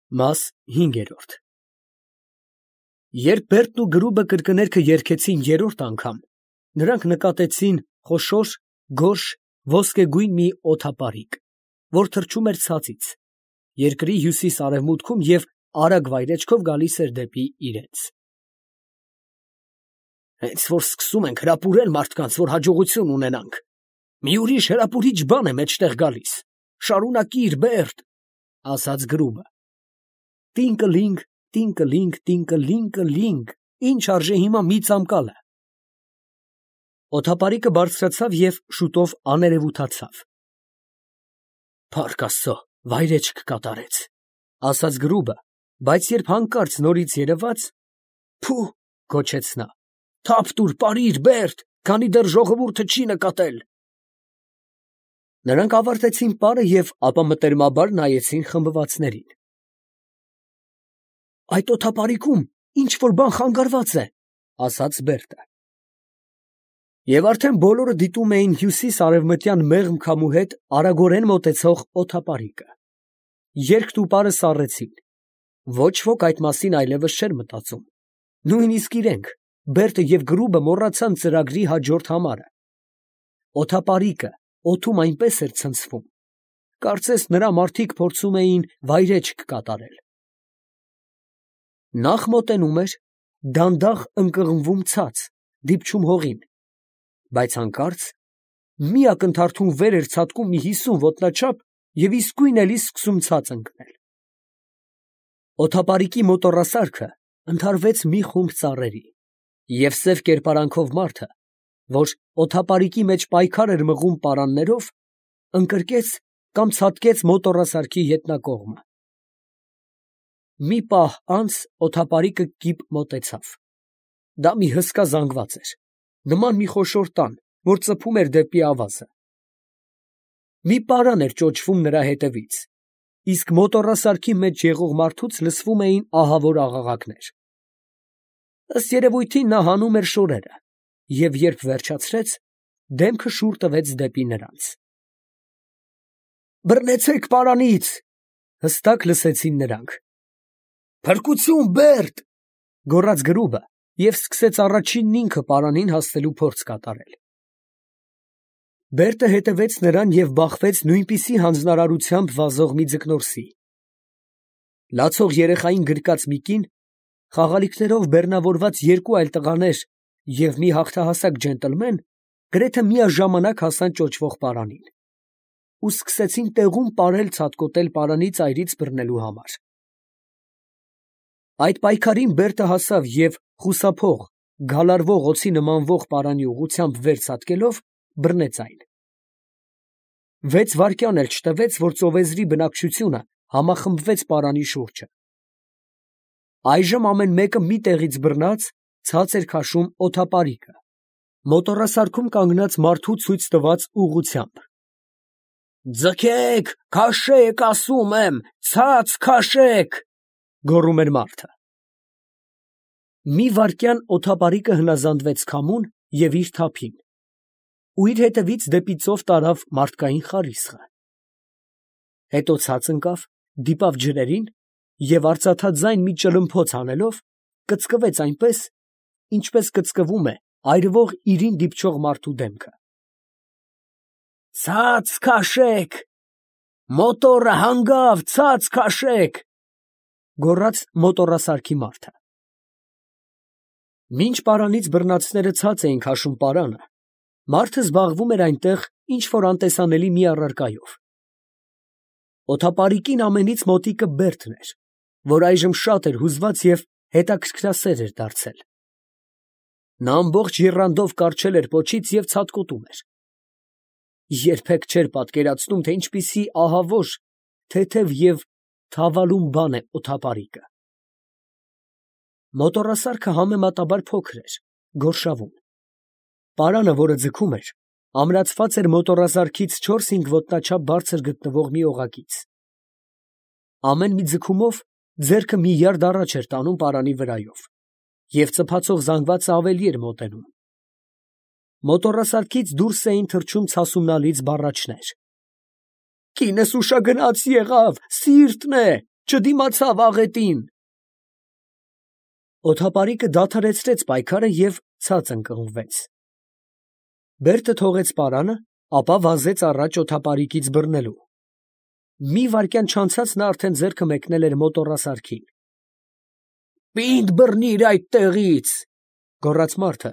Մաս 5 Երբ Բերտն ու Գրուբը կրկներգը երգեցին երրորդ անգամ, նրանք նկատեցին խոշոր, գորշ, ոսկեգույն մի օդապարիկ, որ թռչում էր ցածից, երկրի հյուսիս֊արևմուտքում և արագ վայրէջքով գալիս էր դեպի իրենց։ Հենց որ սկսում ենք հրապուրել մարդկանց, որ հաջողություն ունենանք, մի ուրիշ հրապուրիչ բան է մեջտեղ գալիս, շարունակիր, Բերտ, ասաց Գրուբը։ Տինկլինգ, տինկլինգ, տինկլինկլինգ, ինչ արժե հիմա մի ծամկալը։ Օդապարիկը բարձրացավ և շուտով աներևութացավ։ Փառք Աստծո, վայրեջք կատարեց, ասաց Գրուբը, բայց երբ հանկարծ նորից երևաց, փու, գոչեց նա, թափ տուր, պարիր, Բերտ, քանի դեռ ժողովուրդը չի նկատել։ Նրանք ավարտեցին պարը և ապա մտերմաբար նայեցին խմբվածներին։ Այդ օդապարիկում ինչ֊որ բան խանգարված է, ասաց Բերտը։ Եվ արդեն բոլորը դիտում էին հյուսիս֊արևմտյան մեղմ քամու հետ արագորեն մոտեցող օդապարիկը։ Երգն ու պարը սառեցին։ Ոչ ոք այդ մասին այլևս չէր մտածում։ Նույնիսկ իրենք, Բերտը և Գրուբը մոռացան ծրագրի հաջորդ համարը։ Օդապարիկը օդում այնպես էր ցնցվում, կարծես նրա մարդիկ փորձում էին վայրեջք կատարել։ Նախ մոտենում էր, դանդաղ ընկղմվում ցած, դիպչում հողին, բայց հանկարծ մի ակնթարթում վեր էր ցատկում մի 50 ոտնաչափ և իսկույն էլի սկսում ցած ընկնել։ Օդապարիկի մոտոռասարքը ընդհարվեց մի խումբ ծառերի, և սև կերպարանքով մարդը, որ օդապարիկի մեջ պայքար էր մղում պարաններով, ընկրկեց կամ ցատկեց մոտոռասարքի ետնակողմը։ Մի պահ անց օդապարիկը կիպ մոտեցավ։ Դա մի հսկա զանգված էր, նման մի խոշոր տան, որ ծփում էր դեպի ավազը։ Մի պարան էր ճոճվում նրա հետևից, իսկ մոտոռասարքի մեջ եղող մարդուց լսվում էին ահավոր աղաղակներ։ Ըստ երևույթին նա հանում էր շորերը, և երբ վերջացրեց, դեմքը շուռ տվեց դեպի նրանց։ Բռնեցե՛ք պարանից, հստակ լսեցին նրանք։ Փրկություն, Բերտ, գոռաց Գրուբը և սկսեց առաջինն ինքը պարանին հասնելու փորձ կատարել։ Բերտը հետևեց նրան և բախվեց նույնպիսի հանձնարարությամբ վազող մի ձկնորսի։ Լացող երեխային գրկած մի կին, խաղալիքներով բեռնավորված երկու այլ տղաներ և մի հաղթահասակ ջենտլմեն գրեթե միաժամանակ հասան ճոճվող պարանին ու սկսեցին տեղում պարել ցատկոտել պարանի ծայրից բռնելու համար։ Այդ պայքարին Բերտը հասավ և խուսափող, գալարվող օձի նմանվող պարանի ուղղությամբ վեր ցատկելով բռնեց այն։ 6 վայրկյան էլ չտևեց, որ ծովեզրի բնակչությունը համախմբվեց պարանի շուրջը։ Այժմ ամեն մեկը մի տեղից բռնած ցած էր քաշում օդապարիկը, մոտոռասարքում կանգնած մարդու ցույց տված ուղղությամբ։ Ձգեք, քաշեք, ասում եմ, ցած քաշեք, գոռում էր մարդը։ Մի վայրկյան օդապարիկը հնազանդվեց քամուն և իր թափին, ու իր հետևից դեպի ծով տարավ մարդկային խարիսխը։ Հետո ցած ընկավ, դիպավ ջրերին և արծաթաձայն մի ճլմփոց անելով, կծկվեց այնպես, ինչպես կծկվում է այրվող իրին դիպչող մարդու դեմքը։ Ցած քաշեք, մոտոռը հանգավ, ցած քաշեք, գոռաց մոտոռասարքի մարդը։ Մինչ պարանից բռնածները ցած էին քաշում պարանը, մարդը զբաղվում էր այնտեղ ինչ֊որ անտեսանելի մի առարկայով։ Օդապարիկին ամենից մոտիկը Բերտն էր, որ այժմ շատ էր հուզված և հետաքրքրասեր էր դարձել։ Նա ամբողջ եռանդով կառչել էր պոչից և ցատկոտում էր։ Երբեք չէր պատկերացնում, թե ինչպիսի ահավոր, թեթև և թավալուն բան է օդապարիկը։ Մոտոռասարքը համեմատաբար փոքր էր, գորշավուն։ Պարանը, որը ձգում էր, ամրացված էր մոտոռասարքից 4-5 ոտնաչափ բարձր գտնվող մի օղակից։ Ամեն մի ձգումով ձեռքը մի յարդ առաջ էր տանում պարանի վրայով, և ծփացող զանգվածը ավելի էր մոտենում։ Մոտոռասարքից դուրս էին թռչում ցասումնալից բառաչներ. Կինս ուշագնաց եղավ, սիրտն է, չդիմացավ աղետին։ Օդապարիկը դադարեցրեց պայքարը և ցած ընկղմվեց։ Բերտը թողեց պարանը, ապա վազեց առաջ օդապարիկից բռնելու։ Մի վայրկյան չանցած նա արդեն ձեռքը մեկնել էր մոտոռասարքին։ «Պինդ բռնիր այդ տեղից», գոռաց մարդը,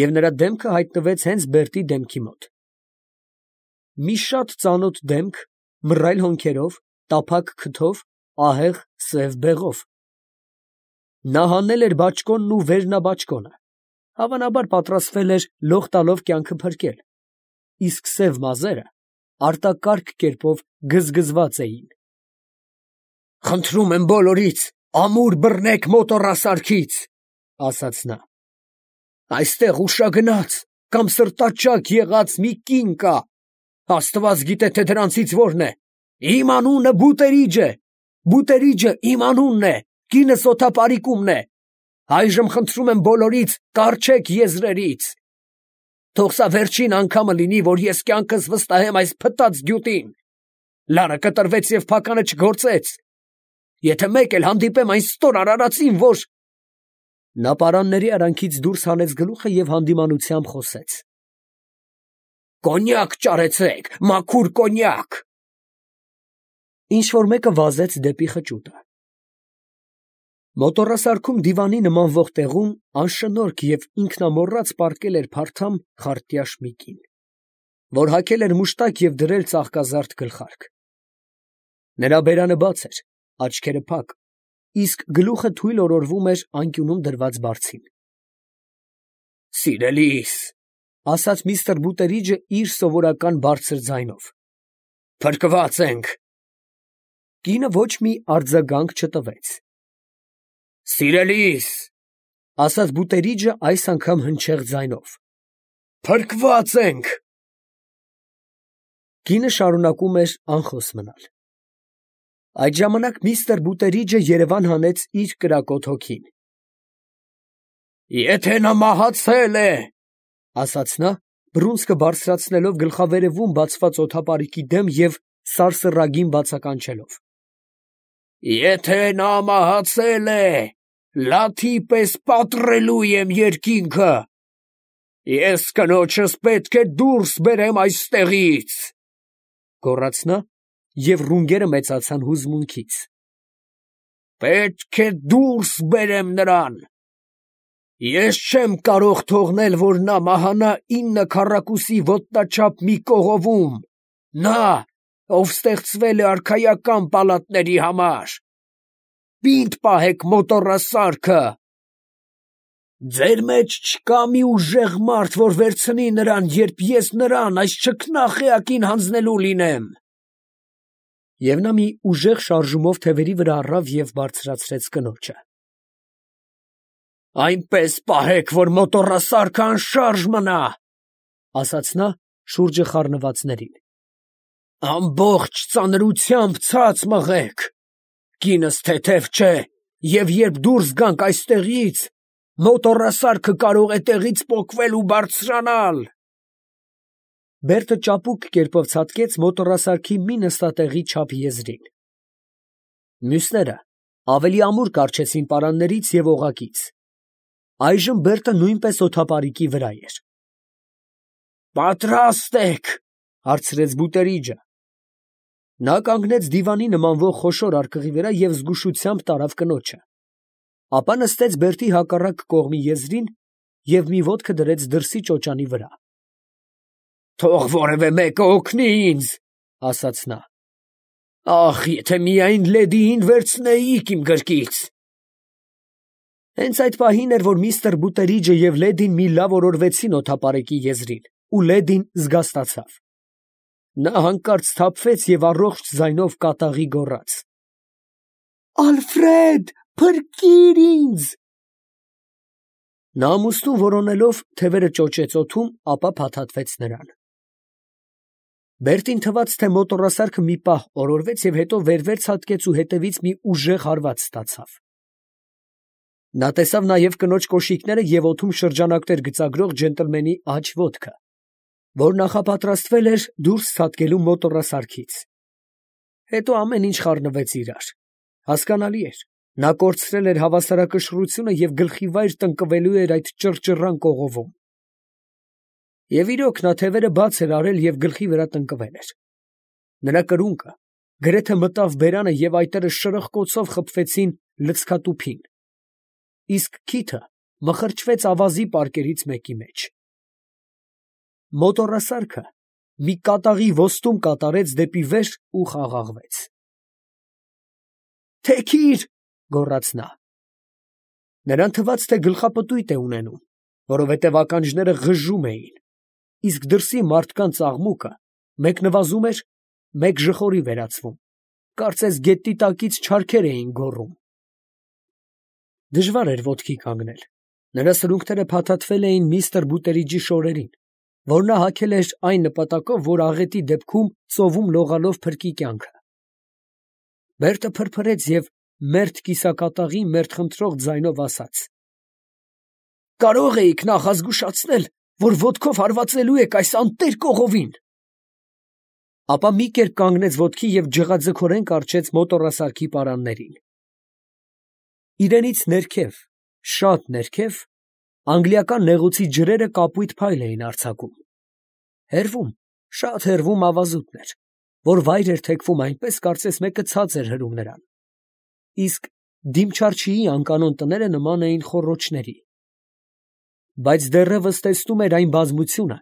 և նրա դեմքը հայտնվեց հենց Բերտի դեմքի մոտ։ Մի շատ ծանոթ դեմք, մռայլ հոնքերով, տափակ քթով, ահեղ սև բեղով։ Նա հանել էր բաճկոնն ու վերնաբաճկոնը, հավանաբար պատրաստվել էր լող տալով կյանքը փրկել, իսկ սև մազերը արտակարգ կերպով գզգզված էին։ «Խնդրում եմ բոլորից, ամուր բռնեք մոտոռասարքից», ասաց նա։ «Այստեղ ուշագնաց կամ սրտաճաք եղած մի կին կա, Աստված գիտե, թե դրանցից որն է, իմ անունը Բուտերիջ է, Բուտերիջը իմ անունն է, կինս օդապարիկումն է, այժմ խնդրում եմ բոլորից, կառչեք եզրերից։ Թող սա վերջին անգամը լինի, որ ես կյանքս վստահեմ այս փտած գյուտին։ Լարը կտրվեց և փականը չգործեց։ Եթե մեկ էլ հանդիպեմ այն ստոր արարածին, որ…» Նա պարանների արանքից դուրս հանեց գլուխը և հանդիմանությամբ խոսեց. «Կոնյակ ճարեցեք, մաքուր կոնյակ»։ Ինչ֊որ մեկը վազեց դեպի խճուտը։ Մոտոռասարքում դիվանի նմանվող տեղում անշնորհք և ինքնամոռաց պառկել էր փարթամ խարտյաշ մի կին, որ հագել էր մուշտակ և դրել ծաղկազարդ գլխարկ։ Նրա բերանը բաց էր, աչքերը փակ, իսկ գլուխը թույլ օրորվում էր անկյունում դրված բարձին։ «Սիրելիս», ասաց միստր Բուտերիջը իր սովորական բարձր ձայնով, «փրկված ենք»։ Կինը ոչ մի արձագանք չտվեց։ «Սիրելիս», ասաց Բուտերիջը այս անգամ հնչեղ ձայնով, «փրկված ենք»։ Կինը շարունակում էր անխոս մնալ։ Այդ ժամանակ միստր Բուտերիջը երևան հանեց իր կրակոտ հոգին։ «Եթե նա մահացել է, ֊ ասաց նա, բռունցքը բարձրացնելով գլխավերևում բացված օդապարիկի դեմ և սարսռագին բացականչելով, ֊ եթե նա մահացել է, լաթի պես պատռելու եմ երկինքը, ես կնոջս պետք է դուրս բերեմ այստեղից, ֊ գոռաց նա, և ռունգերը մեծացան հուզմունքից, ֊ պետք է դուրս բերեմ նրան, ես չեմ կարող թողնել, որ նա մահանա 9 քառակուսի ոտնաչափ մի կողովում, նա, ով ստեղծվել է արքայական պալատների համար, պինդ պահեք մոտոռասարքը, ձեր մեջ չկա մի ուժեղ մարդ, որ վերցնի նրան, երբ ես նրան, այս չքնաղ էակին հանձնելու լինեմ։ Եվ նա մի ուժեղ շարժումով թևերի վրա առավ և բարձրացրեց կնոջը։ «Այնպես պահեք, որ մոտոռասարքը անշարժ մնա, ֊ ասաց նա շուրջը խառնվածներին, ֊ ամբողջ ծանրությամբ ցած մղեք, կինս թեթև չէ, և երբ դուրս գանք այստեղից, մոտոռասարքը կարող է տեղից պոկվել ու բարձրանալ»։ Բերտը ճապուկ կերպով ցատկեց մոտոռասարքի մի նստատեղի չափ եզրին։ Մյուսները ավելի ամուր կառչեցին պարաններից և օղակից։ Այժմ Բերտը նույնպես օդապարիկի վրա էր։ «Պատրաստ ե՞ք, ֊ հարցրեց Բուտերիջը։ Նա կանգնեց դիվանի նմանվող խոշոր արկղի վրա և զգուշությամբ տարավ կնոջը, ապա նստեց Բերտի հակառակ կողմի եզրին և մի ոտքը դրեց դրսի ճոճանի վրա։ «Թող որևէ մեկը օգնի ինձ, ֊ ասաց նա, ֊ ախ, եթե միայն լեդիին վերցնեիք իմ գրկից»։ Հենց այդ պահին էր, որ միստր Բուտերիջը և լեդին մի լավ օրորվեցին օդապարիկի եզրին, ու լեդին զգաստացավ։ Նա հանկարծ սթափվեց և առողջ ձայնով կատաղի գոռաց. «Ալֆրեդ, փրկիր ինձ»։ Նա ամուսնուն որոնելով թևերը ճոճեց օդում, ապա փաթաթվեց նրան։ Բերտին թվաց, թե մոտոռասարքը մի պահ օրորվեց և հետո վեր ցատկեց ու հետևից մի ուժեղ հարված ստացավ։ Նա տեսավ նաև կնոջ կոշիկները և օդում շրջանակներ գծագրող ջենտլմենի աջ ոտքը, որ նախապատրաստվել էր դուրս ցատկելու մոտոռասարքից։ Հետո ամեն ինչ խառնվեց իրար։ Հասկանալի էր, նա կորցրել էր հավասարակշռությունը և գլխի վայր տնկվելու էր այդ ճռճռան կողովում։ Եվ իրոք նա թևերը բաց էր արել և գլխի վրա տնկվել էր։ Նրա կրունկը գրեթե մտավ բերանը և այտերը շրխկոցով խփվեցին լցքատուփին, իսկ քիթը մխրճվեց ավազի պարկերից մեկի մեջ։ Մոտոռասարքը մի կատաղի ոստում կատարեց դեպի վեր ու խաղաղվեց։ «Թեքիր!» գոռաց նա։ Նրան թվաց, թե գլխապտույտ է ունենում, որովհետև ականջները ղժում էին, իսկ դրսի մարդկանց աղմուկը մեկ նվազում էր, մեկ ժխորի վերածվում, կարծես գետնի տակից չարքեր էին գոռում։ Դժվար էր ոտքի կանգնել, նրա սրունքները փաթաթվել էին միստր Բուտերիջի շորերին, որ նա հագել էր այն նպատակով, որ աղետի դեպքում ծովում լողալով փրկի կյանքը։ Բերտը փրփրեց և մերթ կիսակատաղի մերթխնդրող ձայնով ասաց. «Կարո՞ղ էիք նախ ազգուշացնել, որ ոտքով հարվածելու եք այս անտեր կողովին»։ Ապա մի կերպ կանգնեց ոտքի և ջղաձգորեն կառչեց մոտոռասարքի պարաններին։ Իրենից ներքև, շատ ներքև, անգլիական նեղուցի ջրերը կապույտ փայլ էին արձակում։ Հեռվում, շատ հեռվում ավազուտն էր, որ վայր էր թեքվում այնպես, կարծես մեկը ցած էր հրում նրան, իսկ Դիմչարչիի անկանոն տները նման էին խոռոչների։ Բայց դեռևս տեսնում էր այն բազմությունը,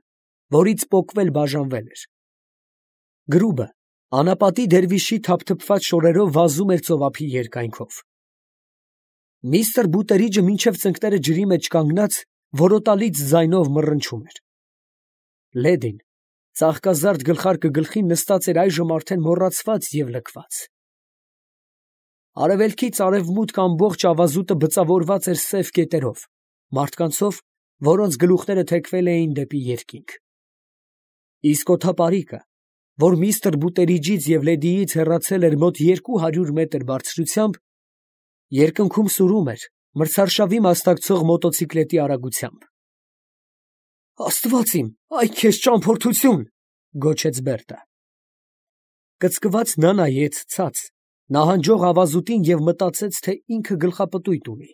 որից պոկվել բաժանվել էր։ Գրուբը անապատի դերվիշի թափթփված շորերով վազում էր ծովափի երկայնքով։ Միստր Բուտերիջը մինչև ծնկները ջրի մեջ կանգնած որոտալից ձայնով մռնչում էր։ Լեդին, ծաղկազարդ գլխարկը գլխին, նստած էր այժմ արդեն մոռացված և լքված։ Արևելքից արևմուտք ամբողջ ավազուտը բծավորված էր սև կետերով, մարդկանցով, որոնց գլուխները թեքվել էին դեպի երկինք։ Իսկ օդապարիկը, որ միստր Բուտերիջից և Լեդիից հեռացել էր մոտ 200 մետր բարձրությամբ, երկնքում սուրում էր մրցարշավի մասնակցող մոտոցիկլետի արագությամբ։ «Աստված իմ, այ քեզ ճամփորդություն», գոչեց Բերտը։ Կծկված նա նայեց ցած, նահանջող ավազուտին և մտածեց, թե ինքը գլխապտույտ ունի։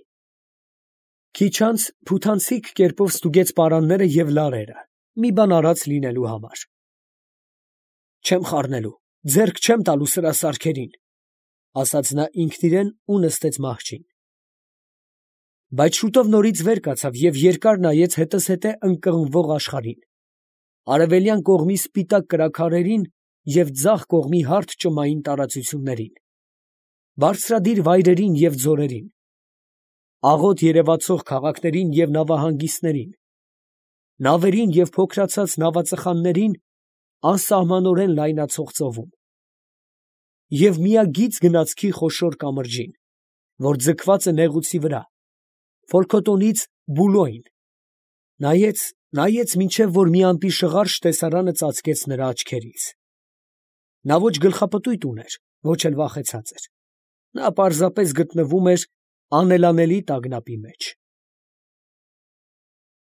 Քիչ անց փութանցիկ կերպով ստուգեց պարանները և լարերը, մի բան արած լինելու համար։ «Չեմ խառնելու, ձեռք չեմ տալու սրա սարքերին», ասաց նա ինքն իրան ու նստեց մահճին։ Բայց շուտով նորից վեր կացավ և երկար նայեց հետզհետե ընկղմվող աշխարհին, արևելյան կողմի սպիտակ կրաքարերին և ձախ կողմի հարթ ճմային տարածություններին, բարձրադիր վայրերին և ձորերին, աղոտ երևացող քաղաքներին և նավահանգիստներին, նավերին և փոքրացած նավածխաններին անսահմանորեն լայնացող ծովում, և միագիծ գնացքի խոշոր կամրջին, որ ձգված է նեղուցի վրա, Ֆոլքոթոնից Բուլոյն, նայեց, մինչև որ մի անտիշղարժ տեսարանը ծածկեց նրա աչքերից։ Նա ոչ գլխապտույտ ուներ, ոչ էլ վախեցած էր. նա պարզապես գտնվում էր անելանելի տագնապի մեջ։